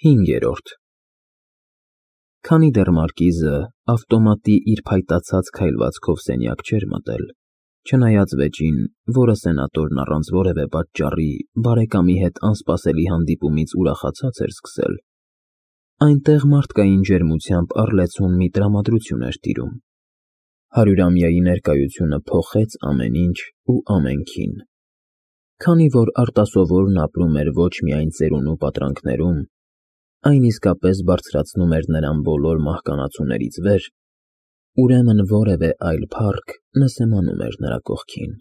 5-րդ Քանի դեռ մարկիզը ավտոմատի իր փայտացած քայլվածքով սենյակ չէր մտել, չնայած վեճին, որը սենատորն առանց որևէ պատճառի բարեկամի հետ անսպասելի հանդիպումից ուրախացած էր սկսել, այնտեղ մարդկային ջերմությամբ առլեցուն մի տրամադրություն էր տիրում։ 100-ամյայի ներկայությունը փոխեց ամեն ինչ ու ամենքին։ Քանի որ արտասովորն ապրում էր ոչ միայն ծերունու պատրանքներում, այն իսկապես բարձրացնում էր նրան բոլոր մահկանացուներից վեր, ուրեմն որևէ այլ փառք նսեմանում էր նրա կողքին։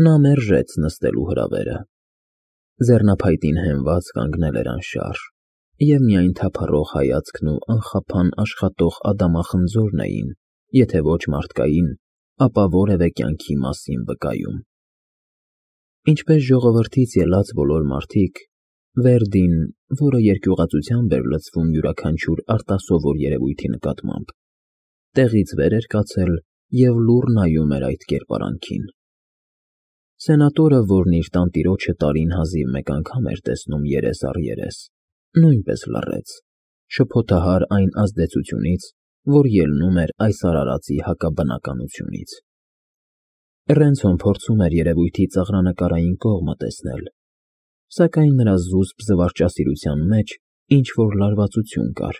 Նա մերժեց նստելու հրավերը։ Ձեռնափայտին հենված կանգնել էր անշարժ, և միայն թափառող հայացքն ու անխափան աշխատող ադամախնձորն էին, եթե ոչ մարդկային, ապա որևէ կյանքի մասին վկայում։ Ինչպես ժողովրդից ելած բոլոր մարդիկ, Վերդին, որը երկյուղածությամբ էր լցվում յուրաքանչյուր արտասովոր երևույթի նկատմամբ, տեղից վեր էր կացել և լուռ նայում էր այդ կերպարանքին։ Սենատորը, որն իր տանտիրոջը տարին հազիվ մեկ անգամ էր տեսնում երես առ երես, նույնպես լռեց, շփոթահար այն ազդեցությունից, որ ելնում էր այս արարածի հակաբնականությունից։ Ռենցոն փորձում էր երևույթի ծաղրանկարային կողմը տեսնել, սակայն նրա զուսպ զվարճասիրության մեջ ինչ-որ լարվածություն կար։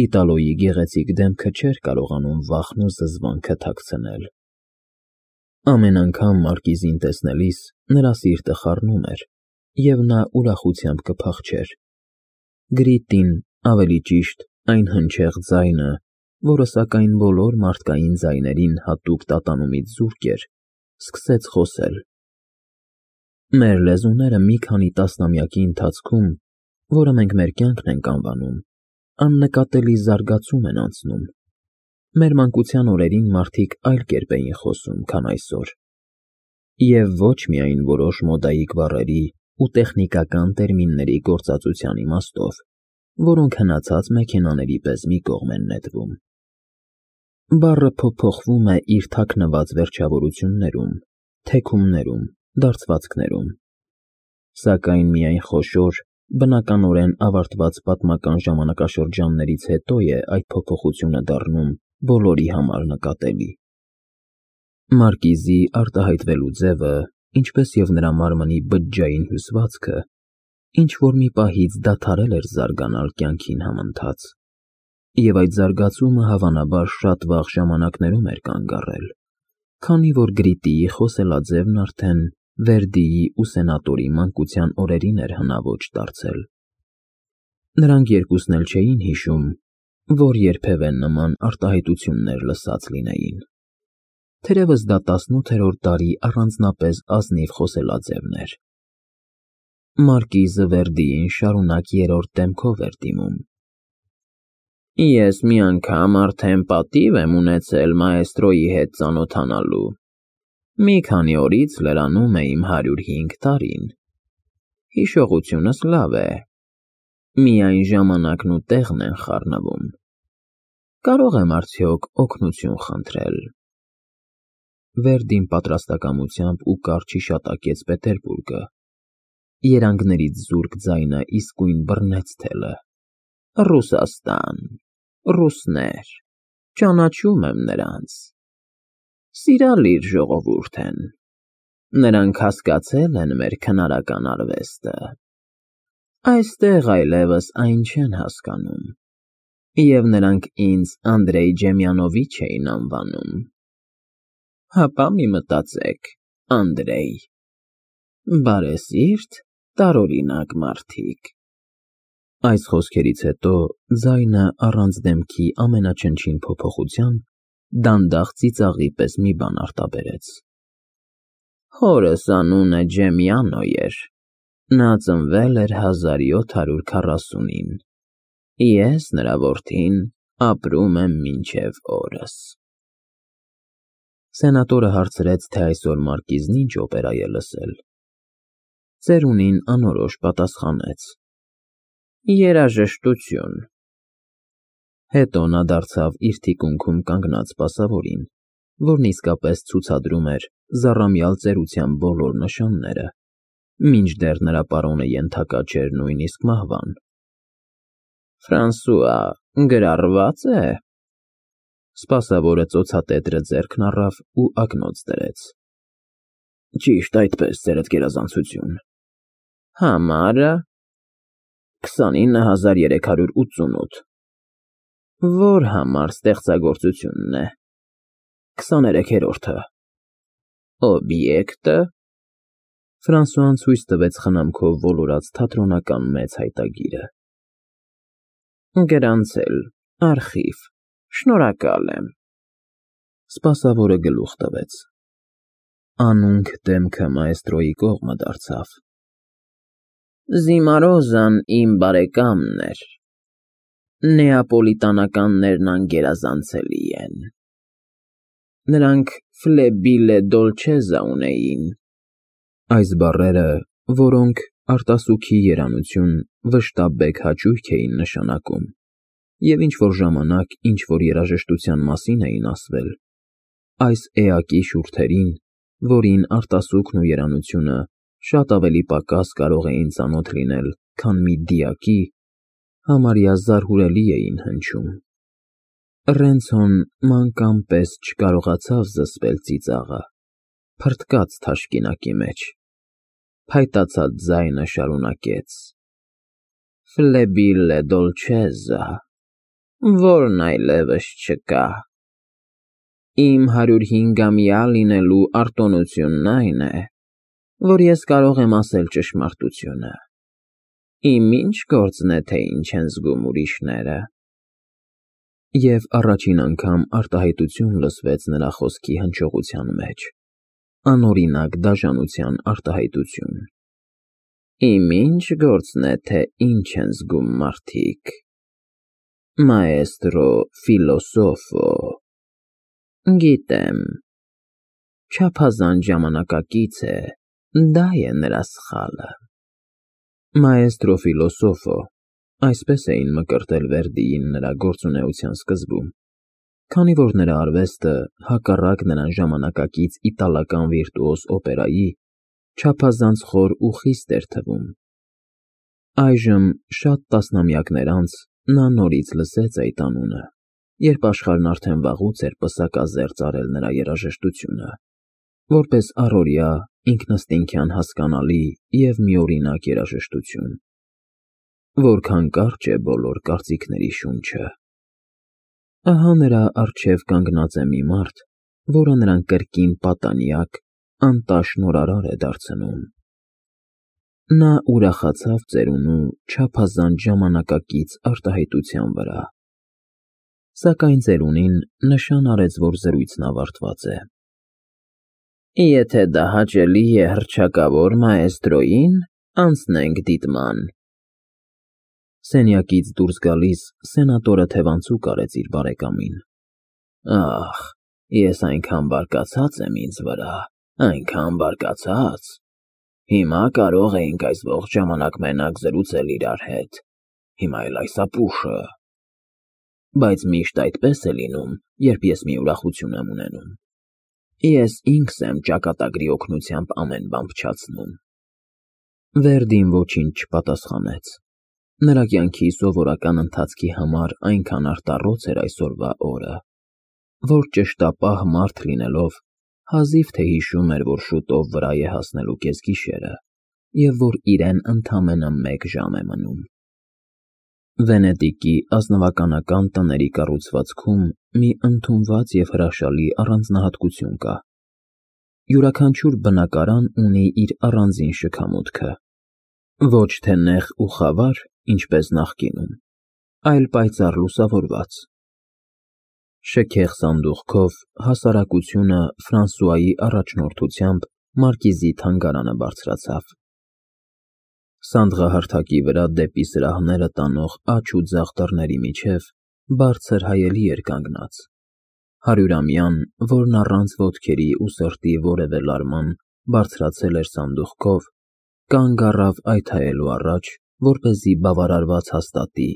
Իտալոյի գեղեցիկ դեմքը չէր կարողանում վախն ու զզվանքը թաքցնել։ Ամեն անգամ մարկիզին տեսնելիս նրա սիրտը խառնում էր, և նա ուրախությամբ կփախչեր։ Գրիտին, ավելի ճիշտ, այն հնչեղ ձայնը, որը սակայն բոլոր մարդկային ձայներին հատուկ տատանումից զուրկ էր, սկսեց խոսել։ Մեր լեզուները մի քանի տասնամյակի ընթացքում, որը մենք մեր կյանքն ենք անվանում, աննկատելի զարգացում են անցնում։ Մեր մանկության օրերին մարդիկ այլ կերպ էին խոսում, քան այսօր, և ոչ միայն որոշ մոդայիկ բառերի ու տեխնիկական տերմինների գործածության իմաստով, որոնք հնացած մեքենաների պես մի կողմ են նետվում։ Բառը փոփոխվում է իր թաքնված վերջավորություններում, թեքումներում, դարձվածքներում, սակայն միայն խոշոր, բնականորեն ավարտված պատմական ժամանակաշրջաններից հետո է այդ փոփոխությունը դառնում բոլորի համար նկատելի։ Մարկիզի արտահայտվելու ձևը, ինչպես և նրա մարմնի բջջային հյուսվածքը, ինչ-որ մի պահից դադարել էր զարգանալ կյանքին համընթաց, և այդ զարգացումը հավանաբար շատ վաղ ժամանակներում էր կանգ առել, քանի որ Գրիտիի խոսելաձևն արդեն Վերդիի ու սենատորի մանկության օրերին էր հնաոճ դարձել։ Նրանք երկուսն էլ չէին հիշում, որ երբևէ նման արտահայտություններ լսած լինեին։ Թերևս դա 18-րդ դարի առանձնապես ազնիվ խոսելաձևն էր։ Մարկիզը Վերդիին շարունակ երրորդ դեմքով էր դիմում։ Ես մի անգամ արդեն պատիվ եմ ունեցել մաեստրոյի հետ ծանոթանալու։ Մի քանի օրից լրանում է իմ 105 տարին։ Հիշողությունս լավ է։ Միայն ժամանակն ու տեղն են խառնվում։ Կարող եմ արդյոք օգնություն խնդրել։ Վերդին պատրաստակամությամբ ու կարճ հիշատակեց Պետերբուրգը։ Երանգներից զուրկ ձայնը իսկույն բռնեց թելը։ Ռուսաստան, ռուսներ, ճանաչում եմ նրանց։ Սիրալիր ժողովուրդ են։ Նրանք հասկացել են մեր քնարական արվեստը։ Այստեղ այլևս այն չեն հասկանում, և նրանք ինձ Անդրեյ Ջեմյանովիչ էին անվանում։ Հապա մի մտածեք, Անդրեյ։ Բարեսիրտ, տարօրինակ մարդիկ։ Այս խոսքերից հետո ձայնը առանց դեմքի ամենաչնչին փոփոխության դանդաղ ծիծաղի պես մի բան արտաբերեց։ Հորս անունը Ջեմյանո էր։ Նա ծնվել էր 1740-ին։ Ես, նրա որդին, ապրում եմ մինչև օրս։ Սենատորը հարցրեց, թե այսօր մարկիզն ինչ օպերա է լսել։ Ծերունին անորոշ պատասխանեց. Երաժշտություն։ Հետո նա դարձավ իր թիկունքում կանգնած սպասավորին, որն իսկապես ցուցադրում էր զառամյալ ծերության բոլոր նշանները, մինչդեռ նրա պարոնը ենթակա չէր նույնիսկ մահվան, Ֆրանսուଆ, գրառված է։ Սպասավորը ծոցատետրը ձեռքն առավ ու ակնոց դրեց։ Ճիշտ այդպես, ձերդ գերազանցություն։ Համարը 29388։ Որ համար ստեղծագործությունն է։ 23-րդը։ Օբյեկտը։ Ֆրանսուան ցույց տվեց խնամքով ոլորած թատրոնական մեծ հայտագիրը։ Գրանցել, արխիվ, շնորհակալ եմ։ Սպասավորը գլուխ տվեց։ Անունք դեմքը մաեստրոյի կողմը դարձավ։ Զիմարոզան իմ բարեկամն էր։ Նեապոլիտանականներն անգերազանցելի են։ Նրանք ֆլեբիլե դոլչեզա ունեին։ Այս բառերը, որոնք արտասուքի երանություն վշտաբեկ հաճույք էին նշանակում, և ինչ-որ ժամանակ ինչ-որ երաժշտության մասին էին ասվել, այս էակի շուրթերին, որին արտասուքն ու երանությունը շատ ավելի պակաս կարող էին ծանոթ լինել, քան մի դիակի, համարյա զարհուրելի էին հնչում։ Ռենցոն մանկան պես չկարողացավ զսպել ծիծաղը, փռթկաց թաշկինակի մեջ, փայտացած ձայնը շարունակեց. Ֆլեբիլե դոլչեզա, որն այլևս չկա։ Իմ 105-ամյա լինելու արտոնությունն այն է, որ ես կարող եմ ասել ճշմարտությունը։ Իմ ինչ գործն է, թե ինչ են զգում ուրիշները։ Եվ առաջին անգամ արտահայտություն լսվեց նրա խոսքի հնչողության մեջ, անօրինակ դաժանության արտահայտություն։ Իմ ինչ գործն է, թե ինչ են զգում մարդիկ։ Մաեստրո ֆիլոսոֆո։ Գիտեմ, չափազանց ժամանակակից է, դա է նրա սխալը։ Մաեստրո ֆիլոսոֆո, այսպես էին մկրտել Վերդիին նրա գործունեության սկզբում, քանի որ նրա արվեստը, հակառակ նրան ժամանակակից իտալական վիրտուոզ օպերայի, չափազանց խոր ու խիստ էր թվում։ Այժմ, շատ տասնամյակներ անց, նա նորից լսեց այդ անունը, երբ աշխարհն արդեն վաղուց էր պսակազերծ արել նրա երաժշտությունը, որպես առօրյա, ինքնըստինքյան հասկանալի և միօրինակ երաժշտություն։ Որքան կարճ է բոլոր կարծիքների շունչը։ Ահա նրա առջև կանգնած է մի մարդ, որը նրան կրկին պատանյակ, անտաշ նորարար է դարձնում։ Նա ուրախացավ ծերունու չափազանց ժամանակակից արտահայտության վրա։ Սակայն ծերունին նշան արեց, որ զրույցն ավարտված է։ Եթե դա հաճելի է հռչակավոր մաեստրոյին, անցնենք դիտման։ Սենյակից դուրս գալիս սենատորը թևանցուկ արեց իր բարեկամին։ Ախ, ես այնքան բարկացած եմ ինձ վրա, այնքան բարկացած։ Հիմա կարող էինք այս ողջ ժամանակ մենակ զրուցել իրար հետ, հիմա էլ այս ապուշը։ Բայց միշտ այդպես է լինում, երբ ես մի ուրախություն եմ ունենում։ Ես ինքս եմ ճակատագրի օգնությամբ ամեն բան փչացնում։ Վերդին ոչինչ չպատասխանեց։ Նրա կյանքի սովորական ընթացքի համար այնքան արտառոց էր այսօրվա օրը, որ ճշտապահ մարդ լինելով, հազիվ թե հիշում էր, որ շուտով վրա է հասնելու կեսգիշերը, և որ իրեն ընդամենը 1 ժամ է մնում։ Վենետիկի ազնվականական տների կառուցվածքում մի ընդունված և հրաշալի առանձնահատկություն կա։ Յուրաքանչյուր բնակարան ունի իր առանձին շքամուտքը, ոչ թե նեղ ու խավար, ինչպես նախկինում, այլ պայծառ լուսավորված։ Շքեղ սանդուղքով հասարակությունը Ֆրանսուայի առաջնորդությամբ մարկիզի թանգարանը բարձրացավ։ Սանդղահարթակի վրա դեպի սրահները տանող աջ ու ձախ դռների միջև բարձր հայելի էր կանգնած։ 100-ամյան, որն առանց ոտքերի ու սրտի որևէ լարման բարձրացել էր սանդուղքով, կանգ առավ այդ հայելու առաջ, որպեսզի բավարարված հաստատի.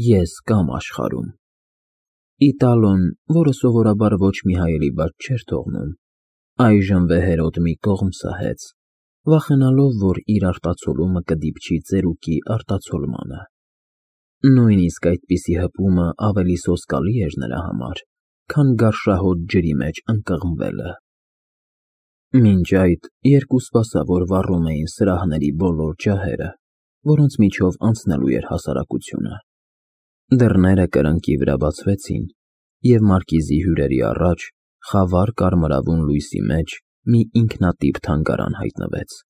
ես կամ աշխարհում։ Իտալոն, որը սովորաբար ոչ մի հայելի բաց չէր թողնում, այժմ վեհերոտ մի կողմ սահեց, վախենալով, որ իր արտացոլումը կդիպչի ծերուկի արտացոլմանը։ Նույնիսկ այդպիսի հպումը ավելի սոսկալի էր նրա համար, քան գարշահոտ ջրի մեջ ընկղմվելը։ Մինչ այդ երկու սպասավոր վառում էին սրահների բոլոր ջահերը, որոնց միջով անցնելու էր հասարակությունը։ Դռները կրկնակի վրա բացվեցին, և մարկիզի հյուրերի առաջ խավար կարմրավուն լույսի մեջ մի ինքնատիպ թանգարան հայտնվեց։